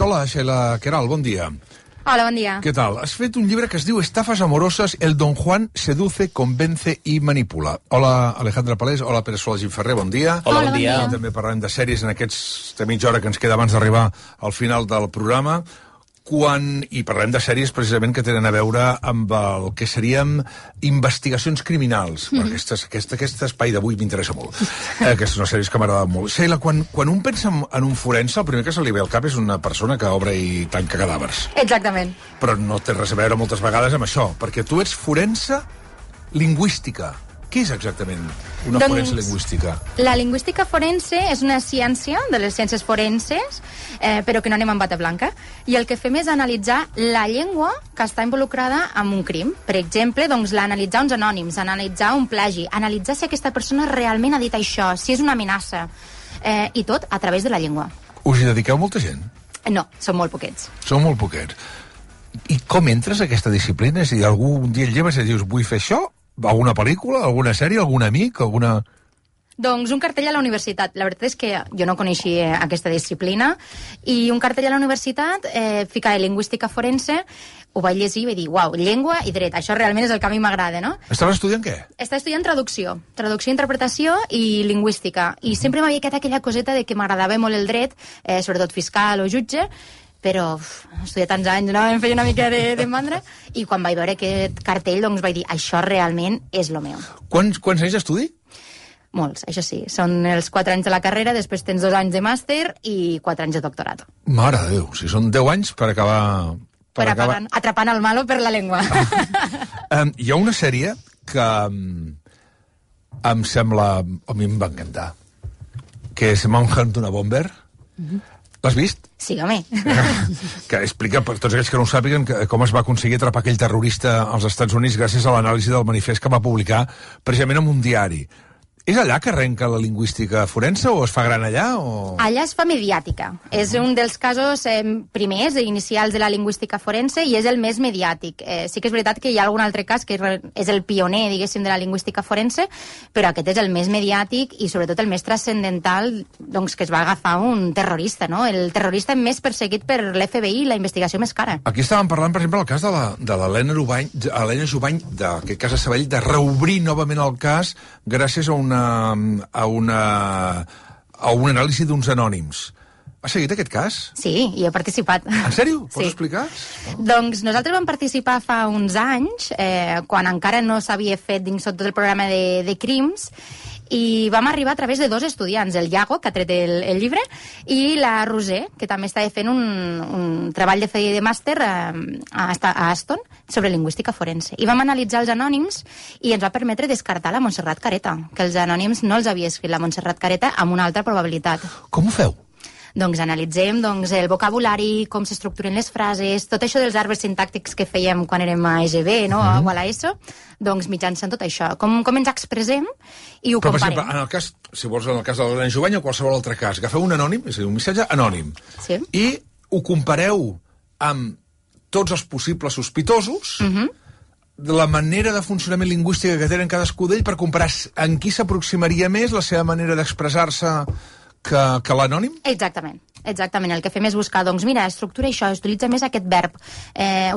Hola, Sheila Queralt, bon dia. Hola, bon dia. Què tal? Has fet un llibre que es diu Estafas amoroses, el Don Juan seduce, convence i manipula. Hola, Alejandra Palés, hola, Pere Sola Gimferrer, bon dia. Hola, bon dia. També parlem de sèries en aquesta mitja hora que ens queda abans d'arribar al final del programa. I parlem de sèries precisament que tenen a veure amb el que serien investigacions criminals. Aquest espai d'avui m'interessa molt. Aquestes són sèries que m'agraden molt. Sheila, quan un pensa en un forense, el primer que se li ve al cap és una persona que obre i tanca cadàvers. Exactament. Però no té res a veure moltes vegades amb això, perquè tu ets forense lingüística. Què és exactament una forense lingüística? La lingüística forense és una ciència de les ciències forenses, però que no anem amb bata blanca, i el que fem és analitzar la llengua que està involucrada en un crim. Per exemple, doncs, analitzar uns anònims, analitzar un plagi, analitzar si aquesta persona realment ha dit això, si és una amenaça, i tot a través de la llengua. Us hi dediqueu molta gent? No, són molt poquets. Són molt poquets. I com entres a aquesta disciplina? És a dir, algun dia et lleves i dius, vull fer això? Alguna pel·lícula, alguna sèrie, algun amic, alguna... Doncs un cartell a la universitat. La veritat és que jo no coneixia aquesta disciplina i un cartell a la universitat ficava lingüística forense, ho vaig llegir i vaig dir, uau, llengua i dret, això realment és el que a mi m'agrada, no? Estaves estudiant què? Estava estudiant traducció, interpretació i lingüística. I sempre m'havia quedat aquella coseta de que m'agradava molt el dret, sobretot fiscal o jutge, però estudiar tants anys, no? Em feia una mica de mandra, i quan vaig veure aquest cartell, doncs vaig dir, això realment és lo meu. Quants anys d'estudi? Molts, això sí. Són els 4 anys de la carrera, després tens 2 anys de màster i 4 anys de doctorat. Mare de Déu, si són 10 anys per acabar... Atrapant el malo per la llengua. Hi ha una sèrie que em sembla... A mi em va encantar, que és Manhunt una Bomber. L'has vist? Sí, home. Que explica, per tots aquells que no ho sàpiguen, com es va aconseguir atrapar aquell terrorista als Estats Units gràcies a l'anàlisi del manifest que va publicar precisament en un diari. És allà que arrenca la lingüística forense o es fa gran allà? O... Allà es fa mediàtica. És un dels casos primers, inicials de la lingüística forense i és el més mediàtic. Sí que és veritat que hi ha algun altre cas que és el pioner, diguéssim, de la lingüística forense, però aquest és el més mediàtic i sobretot el més transcendental, doncs, que es va agafar un terrorista, no? El terrorista més perseguit per l'FBI, la investigació més cara. Aquí estàvem parlant, per exemple, el cas de l'Helena Jubany, d'aquest cas a Sabadell, de reobrir novament el cas gràcies a un anàlisi d'uns anònims. Has seguit aquest cas? Sí, hi he participat. En sèrio? Pots sí. explicar? Doncs nosaltres vam participar fa uns anys, quan encara no s'havia fet dins tot el programa de crims, i vam arribar a través de 2 estudiants, el Iago, que ha tret el llibre, i la Roser, que també estava fent un treball de màster a Aston sobre lingüística forense. I vam analitzar els anònims i ens va permetre descartar la Montserrat Careta, que els anònims no els havia escrit la Montserrat Careta amb una altra probabilitat. Com ho feu? Doncs analitzem el vocabulari, com s'estructuren les frases, tot això dels arbres sintàctics que fèiem quan érem a EGB, no? O a l'ESO, doncs mitjançant tot això. Com ens expressem i ho comparem. Però, per exemple, si vols, en el cas de l'Helena Jubany o qualsevol altre cas, agafeu un anònim, és a dir, un missatge anònim, sí. I ho compareu amb tots els possibles sospitosos, de la manera de funcionament lingüística que tenen cadascú d'ell per comparar en qui s'aproximaria més la seva manera d'expressar-se que l'anònim? Exactament. El que fem és buscar, doncs mira, estructura això, utilitza més aquest verb,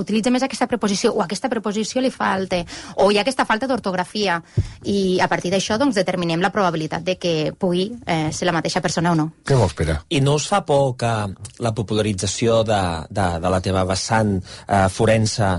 utilitza més aquesta preposició, o aquesta preposició li falta, o hi ha aquesta falta d'ortografia, i a partir d'això doncs determinem la probabilitat de que pugui ser la mateixa persona o no. Què vols, Pere? I no us fa por que la popularització de la teva vessant forense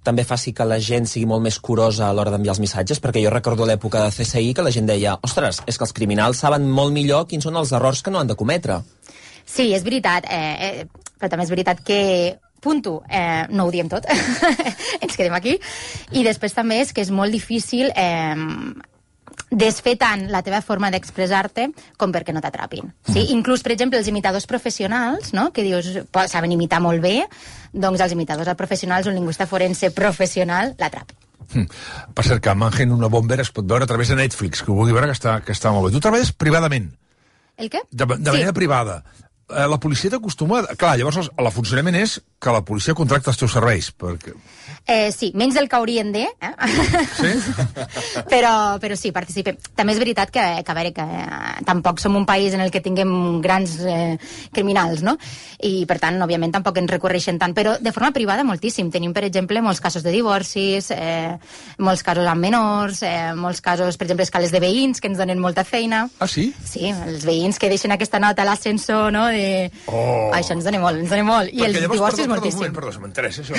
també faci que la gent sigui molt més curosa a l'hora d'enviar els missatges? Perquè jo recordo l'època de CSI que la gent deia, ostres, és que els criminals saben molt millor quins són els errors que no han de cometre. Sí, és veritat, però també és veritat que punto, no ho diem tot, ens quedem aquí, i després també és que és molt difícil desfer tant la teva forma d'expressar-te com perquè no t'atrapin. Sí? Inclús, per exemple, els imitadors professionals, no? Que dius, saben imitar molt bé, doncs els imitadors professionals, un lingüista forense professional, l'atrapa. Per cert, que Manhunt una Bomber es pot veure a través de Netflix, que ho vulgui veure, que està molt bé. Tu treballes privadament. El què? De manera privada. La policia t'acostuma... Clar, llavors el funcionament és que la policia contracta els teus serveis, perquè... Sí, menys del que haurien de, Sí? però sí, participem. També és veritat que a veure, que tampoc som un país en el que tinguem grans criminals, no? I, per tant, òbviament, tampoc ens recorreixen tant, però de forma privada moltíssim. Tenim, per exemple, molts casos de divorcis, molts casos amb menors, molts casos, per exemple, escales de veïns que ens donen molta feina. Ah, sí? Sí, els veïns que deixen aquesta nota a l'ascensor, no? Això ens dona molt, ens dona molt. I els divorcis moltíssim. Perdó, m'interessa això.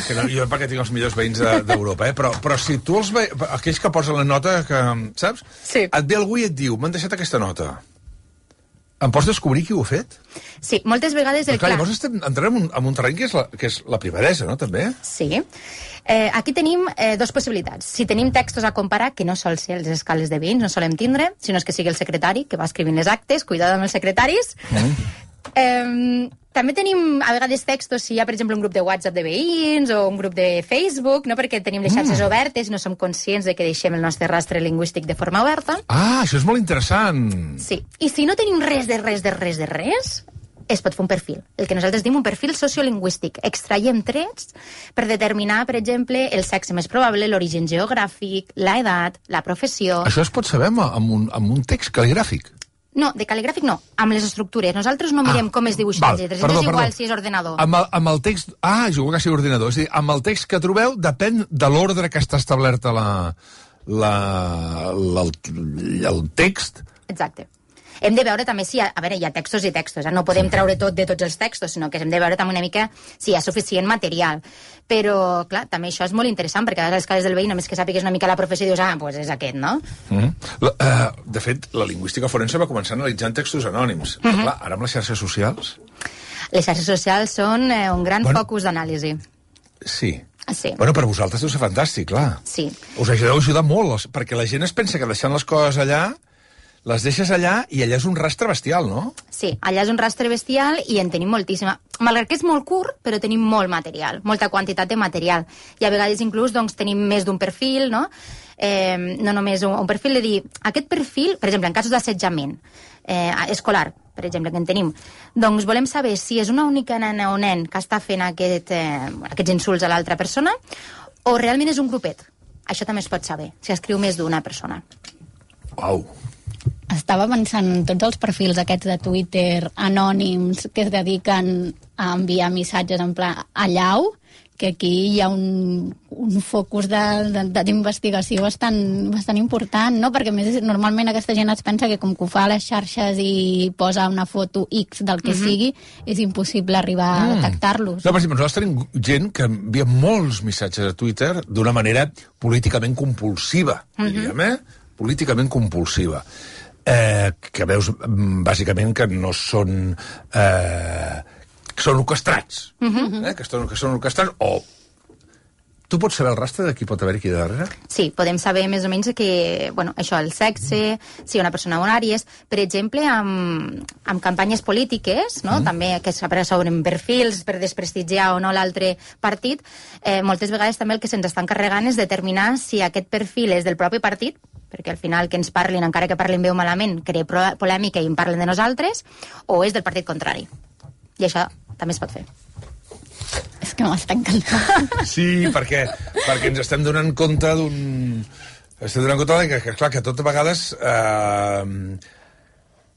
Que no, jo perquè tinc els millors veïns d'Europa, però si tu aquells que posen la nota, que, saps? Sí. Et ve algú i et diu, m'han deixat aquesta nota. Em pots descobrir qui ho ha fet? Sí, moltes vegades... Clar, llavors entrem en un terreny que és la privadesa, no, també? Sí. Aquí tenim dues possibilitats. Si tenim textos a comparar, que no sol ser les escales de veïns, no solem tindre, sinó que sigui el secretari, que va escrivint les actes, cuidado amb els secretaris. També tenim a vegades textos si hi ha, per exemple, un grup de WhatsApp de veïns o un grup de Facebook, no? Perquè tenim les xarxes obertes i no som conscients de que deixem el nostre rastre lingüístic de forma oberta. Ah, això és molt interessant. Sí. I si no tenim res, es pot fer un perfil. El que nosaltres diem un perfil sociolingüístic. Extraiem trets per determinar, per exemple, el sexe més probable, l'origen geogràfic, l'edat, la professió... Això es pot saber amb un text cal·ligràfic? No, de cal·ligràfic no, amb les estructures. Nosaltres no mirem com es dibuixen les lletres. És igual si és ordenador. Amb el text... Ah, jo que sigui ordinador. És a dir, amb el text que trobeu depèn de l'ordre que està establerta el text. Exacte. Hem de veure també si... A veure, hi ha textos i textos, no podem treure tot de tots els textos, sinó que hem de veure també una mica si hi ha suficient material. Però, clar, també això és molt interessant, perquè a les escales del veí, només que sàpigues una mica la professió, dius, doncs és aquest, no? De fet, la lingüística forense va començar analitzant textos anònims. Però, clar, ara amb les xarxes socials... Les xarxes socials són un gran focus d'anàlisi. Sí. Sí. Bueno, per vosaltres deu ser fantàstic, clar. Sí. Us deu ajudar molt, perquè la gent es pensa que deixant les coses allà... Les deixes allà i allà és un rastre bestial, no? Sí, allà és un rastre bestial i en tenim moltíssima. Malgrat que és molt curt, però tenim molt material, molta quantitat de material. I a vegades inclús tenim més d'un perfil, no? No només un perfil de dir... Aquest perfil, per exemple, en casos d'assetjament escolar, per exemple, que en tenim, doncs volem saber si és una única nena o nen que està fent aquests insults a l'altra persona o realment és un grupet. Això també es pot saber, si escriu més d'una persona. Uau! Estava pensant en tots els perfils aquests de Twitter anònims que es dediquen a enviar missatges en pla allau, que aquí hi ha un focus d'investigació bastant important, no? Perquè més normalment aquesta gent es pensa que com que ho fa a les xarxes i posa una foto X del que sigui, és impossible arribar a detectar-los. No, per exemple, nosaltres tenim gent que envia molts missatges a Twitter d'una manera políticament compulsiva, diríem, políticament compulsiva. Que veus bàsicament que no són que són orquestrats que són orquestrats o tu pots saber el rastre de qui pot haver aquí darrere? Sí, podem saber més o menys que, això, el sexe, si una persona horària és, per exemple, amb campanyes polítiques, no? També que s'obren perfils per desprestigiar o no l'altre partit, moltes vegades també el que se'ns estan carregant és determinar si aquest perfil és del propi partit, perquè al final que ens parlin, encara que parlin bé o malament, crea polèmica i en parlen de nosaltres, o és del partit contrari. I això també es pot fer. És que m'està encantant. Sí, perquè ens estem donant compte que, clar, que tot a vegades...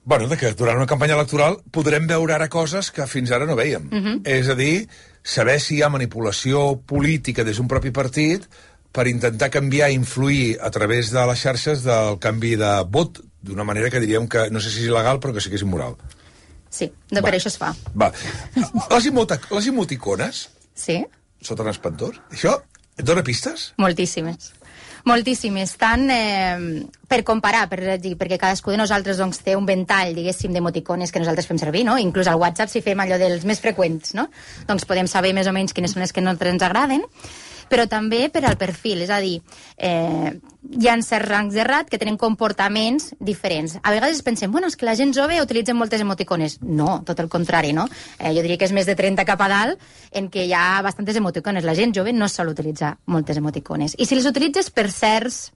de que durant una campanya electoral podrem veure ara coses que fins ara no veiem. És a dir, saber si hi ha manipulació política des d'un propi partit per intentar canviar i influir a través de les xarxes del canvi de vot, d'una manera que diríem que no sé si és il·legal, però que sí que és immoral. Sí, per això es fa. Les emoticones sota l'espantós, això et dona pistes? Moltíssimes. Tant per comparar, perquè cadascú de nosaltres té un ventall, diguéssim, d'emoticones que nosaltres fem servir, no? Inclús al WhatsApp si fem allò dels més freqüents, no? Doncs podem saber més o menys quines són les que no ens agraden, però també per al perfil, és a dir, hi ha certs rangs d'edat que tenen comportaments diferents. A vegades pensem, és que la gent jove utilitza moltes emoticones. No, tot el contrari, no? Jo diria que és més de 30 cap a dalt en què hi ha bastantes emoticones. La gent jove no sol utilitzar moltes emoticones. I si les utilitzes per certs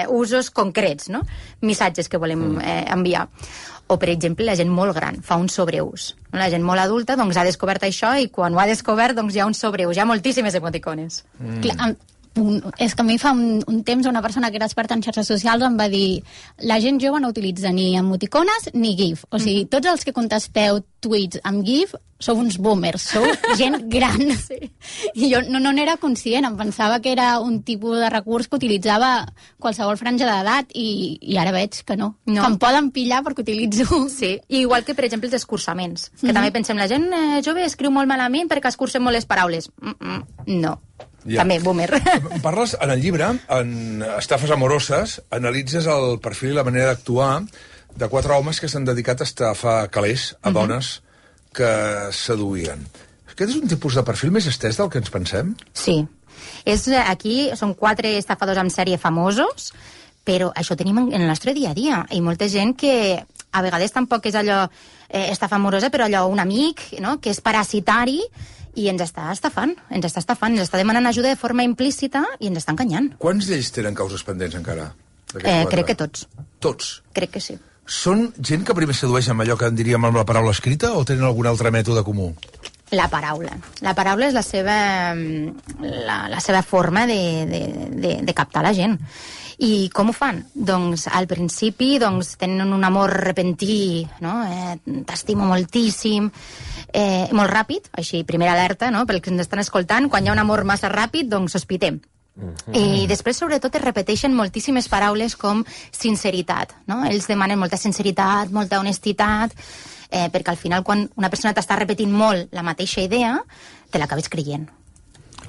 usos concrets, no? Missatges que volem enviar. O, per exemple, la gent molt gran fa un sobreús. La gent molt adulta doncs, ha descobert això i quan ho ha descobert doncs, hi ha un sobreús, hi ha moltíssimes emoticones. Clar, és que a mi fa un temps una persona que era experta en xarxes socials em va dir la gent jove no utilitza ni emoticones ni GIF. O sigui, tots els que contesteu tuits amb GIF sou uns boomers, sou gent gran. Sí. I jo no n'era conscient, em pensava que era un tipus de recurs que utilitzava qualsevol franja d'edat i ara veig que no. Que em poden pillar perquè utilitzo. Sí, i igual que, per exemple, els escurçaments, que també pensem, la gent jove escriu molt malament perquè escurcen molt les paraules. No. Ja. També, boomer. Parles, en el llibre, en Estafes amoroses, analitzes el perfil i la manera d'actuar de 4 homes que s'han dedicat a estafar calés a dones que seduïen. Aquest és un tipus de perfil més estès del que ens pensem? Sí. Aquí són 4 estafadors en sèrie famosos, però això tenim en el nostre dia a dia. I molta gent que a vegades tampoc és allò estafa amorosa, però allò un amic, no?, que és parasitari, i ens està estafant, ens està demanant ajuda de forma implícita i ens està enganyant. Quants d'ells tenen causes pendents encara? Crec que tots. Tots? Crec que sí. Són gent que primer sedueix amb allò que en diríem amb la paraula escrita o tenen algun altre mètode comú? La paraula. La paraula és la seva forma de captar la gent. I com ho fan? Doncs al principi tenen un amor repentí, no? T'estimo moltíssim, molt ràpid, així, primera alerta, no? Pel que ens estan escoltant, quan hi ha un amor massa ràpid, doncs sospitem. I després, sobretot, es repeteixen moltíssimes paraules com sinceritat, no? Ells demanen molta sinceritat, molta honestitat, perquè al final, quan una persona t'està repetint molt la mateixa idea, te l'acabes creient.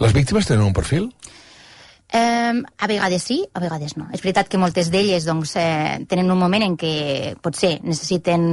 Les víctimes tenen un perfil? A vegades sí, a vegades no. És veritat que moltes d'elles tenen un moment en què potser necessiten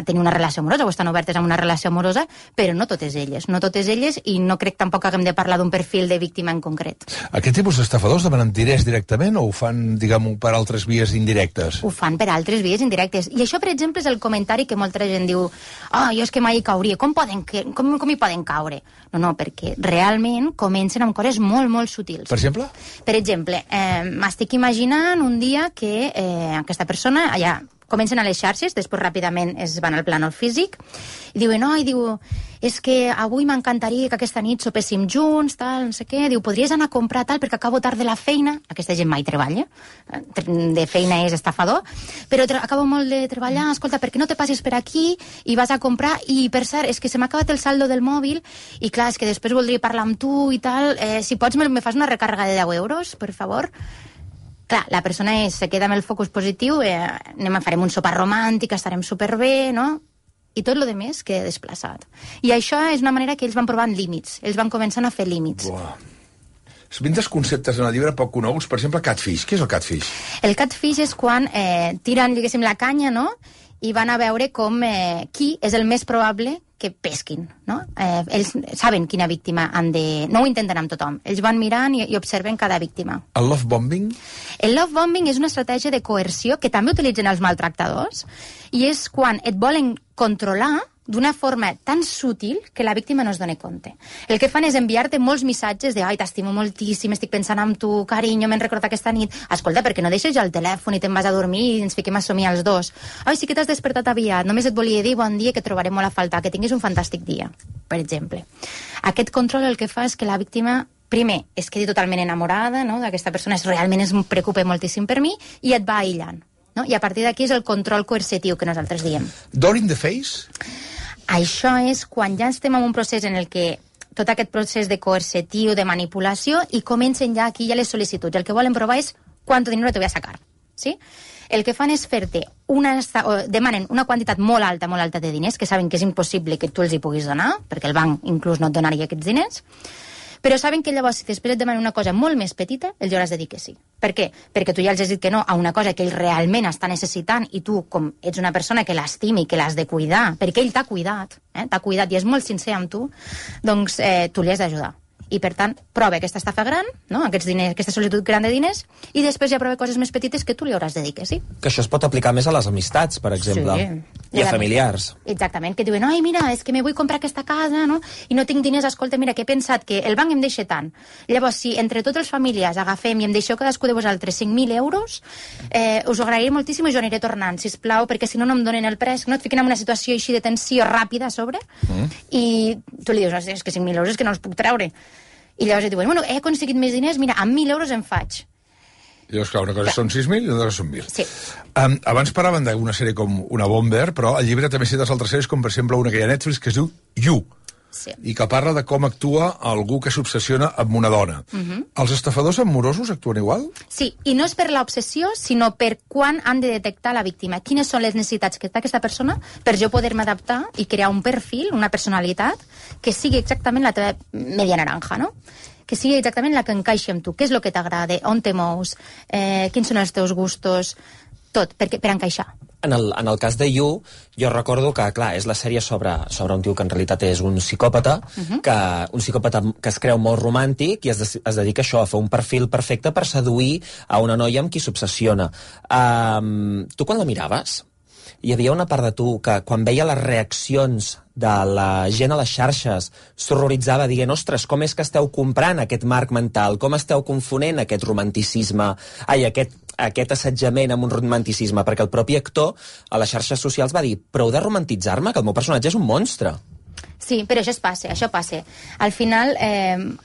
tenir una relació amorosa o estan obertes a una relació amorosa, però no totes elles. No totes elles, i no crec tampoc que haguem de parlar d'un perfil de víctima en concret. Aquest tipus d'estafadors demanen diners directament o ho fan, diguem-ho, per altres vies indirectes? Ho fan per altres vies indirectes. I això, per exemple, és el comentari que molta gent diu jo és que mai hi cauria. Com hi poden caure? No, perquè realment comencen amb coses molt, molt sutils. Per exemple? Per exemple, m'estic imaginant un dia que aquesta persona allà comencen a les xarxes, després ràpidament es van al plànol físic, i diuen, és que avui m'encantaria que aquesta nit sopéssim junts, tal, no sé què, diu, podries anar a comprar tal perquè acabo tard de la feina, aquesta gent mai treballa, de feina és estafador, però acabo molt de treballar, escolta, per què no te passes per aquí i vas a comprar, i per cert, és que se m'ha acabat el saldo del mòbil, i clar, és que després voldria parlar amb tu i tal, si pots me fas una recàrrega de 10 euros, per favor? Clar, la persona se queda amb el focus positiu, farem un sopar romàntic, estarem superbé, no? I tot lo de més queda desplaçat. I això és una manera que ells van provant límits, ells van començant a fer límits. Buah. Vintes conceptes en el llibre poc coneguts, per exemple, catfish. Què és el catfish? El catfish és quan tiren, diguéssim, la canya, no?, i van a veure com qui és el més probable que pesquin, no? Ells saben quina víctima han de... No ho intenten amb tothom. Ells van mirant i observen cada víctima. El love bombing? El love bombing és una estratègia de coerció que també utilitzen els maltractadors i és quan et volen controlar d'una forma tan sutil que la víctima no es doni compte. El que fan és enviar-te molts missatges de ai, t'estimo moltíssim, estic pensant en tu, carinyo, me'n recordo aquesta nit. Escolta, perquè no deixes ja el telèfon i te'n vas a dormir i ens fiquem a somiar els dos. Ai, sí que t'has despertat aviat, només et volia dir bon dia, que et trobaré molt a faltar, que tinguis un fantàstic dia, per exemple. Aquest control el que fa és que la víctima primer, es quedi totalment enamorada, no?, d'aquesta persona, realment es preocupa moltíssim per mi, i et va aïllant. No? I a partir d'aquí és el control coercitiu que nosaltres diem. Door in the face? Això és quan ja estem en un procés en el que tot aquest procés de coercitiu, de manipulació, i comencen ja aquí ja les sol·licituds. El que volen provar és quant dinero te voy a sacar. ¿Sí? El que fan és fer-te demanen una quantitat molt alta de diners, que saben que és impossible que tu els hi puguis donar, perquè el banc inclús no et donaria aquests diners, però saben que llavors, si després et demanen una cosa molt més petita, els hauràs de dir que sí. Per què? Perquè tu ja els has dit que no a una cosa que ell realment està necessitant, i tu, com ets una persona que l'estimi, que l'has de cuidar, perquè ell t'ha cuidat i és molt sincer amb tu, doncs tu li has d'ajudar. I, per tant, prova aquesta estafa gran, no? Aquesta sol·licitud gran de diners, i després ja prova coses més petites que tu li hauràs de dir que sí. Que això es pot aplicar més a les amistats, per exemple, i a familiars. Exactament, que diuen, ai, mira, és que me vull comprar aquesta casa, no? I no tinc diners, escolta, mira, que he pensat que el banc em deixa tant. Llavors, si entre tots els familiars agafem i em deixeu cadascú de vosaltres 5.000 euros, us ho agrairé moltíssim i jo aniré tornant, sisplau, perquè si no, no em donen el préstec, no? Et fiquen en una situació així de tensió ràpida a sobre, i tu li dius, és que 5.000 euros és que no els puc treure. I llavors et diuen, bueno, he aconseguit més diners, mira, amb 1.000 euros em faig. I llavors, clar, una cosa són 6.000 i una cosa són 1.000. Sí. Abans parlaven d'una sèrie com Una Bomber, però al llibre també cites altres sèries, com per exemple una que hi ha a Netflix que es diu You, sí, i que parla de com actua algú que s'obsessiona amb una dona. Els estafadors amorosos actuen igual? Sí, i no és per l'obsessió, sinó per quan han de detectar la víctima. Quines són les necessitats que té aquesta persona per jo poder-me adaptar i crear un perfil, una personalitat, que sigui exactament la teva media naranja, no? Que sigui exactament la que encaixi amb tu. Què és el que t'agrada? On te mous? Quins són els teus gustos? Tot, per encaixar. En el cas de You, jo recordo que, clar, és la sèrie sobre un tio que en realitat és un psicòpata, un psicòpata que es creu molt romàntic i es dedica a això, a fer un perfil perfecte per seduir a una noia amb qui s'obsessiona. Tu quan la miraves, hi havia una part de tu que quan veia les reaccions de la gent a les xarxes s'horroritzava dient, ostres, com és que esteu comprant aquest marc mental, com esteu confonent aquest romanticisme, aquest assetjament amb un romanticisme, perquè el propi actor a les xarxes socials va dir, prou de romantitzar-me, que el meu personatge és un monstre. Sí, però això passa. Al final,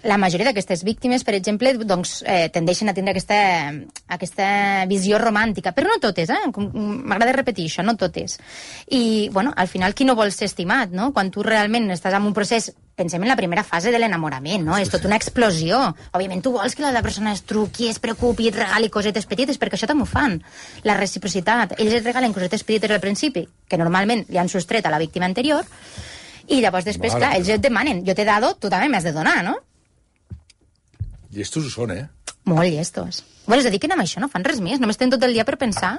la majoria d'aquestes víctimes, per exemple, doncs, tendeixen a tindre aquesta visió romàntica, però no totes, m'agrada repetir això, no totes. I, bueno, al final, qui no vol ser estimat, no? Quan tu realment estàs en un procés, pensem en la primera fase de l'enamorament, no? És tot una explosió. Òbviament, tu vols que la persona es truqui, es preocupi, et regali cosetes petites, perquè això també ho fan. La reciprocitat. Ells et regalen cosetes petites al principi, que normalment li han sostret a la víctima anterior, i llavors després, clar, ells et demanen, jo t'he dado, tu també m'has de donar, no? Llestos ho són, Molt llestos. Bueno, es dediquen a això, no fan res més, només tenen tot el dia per pensar.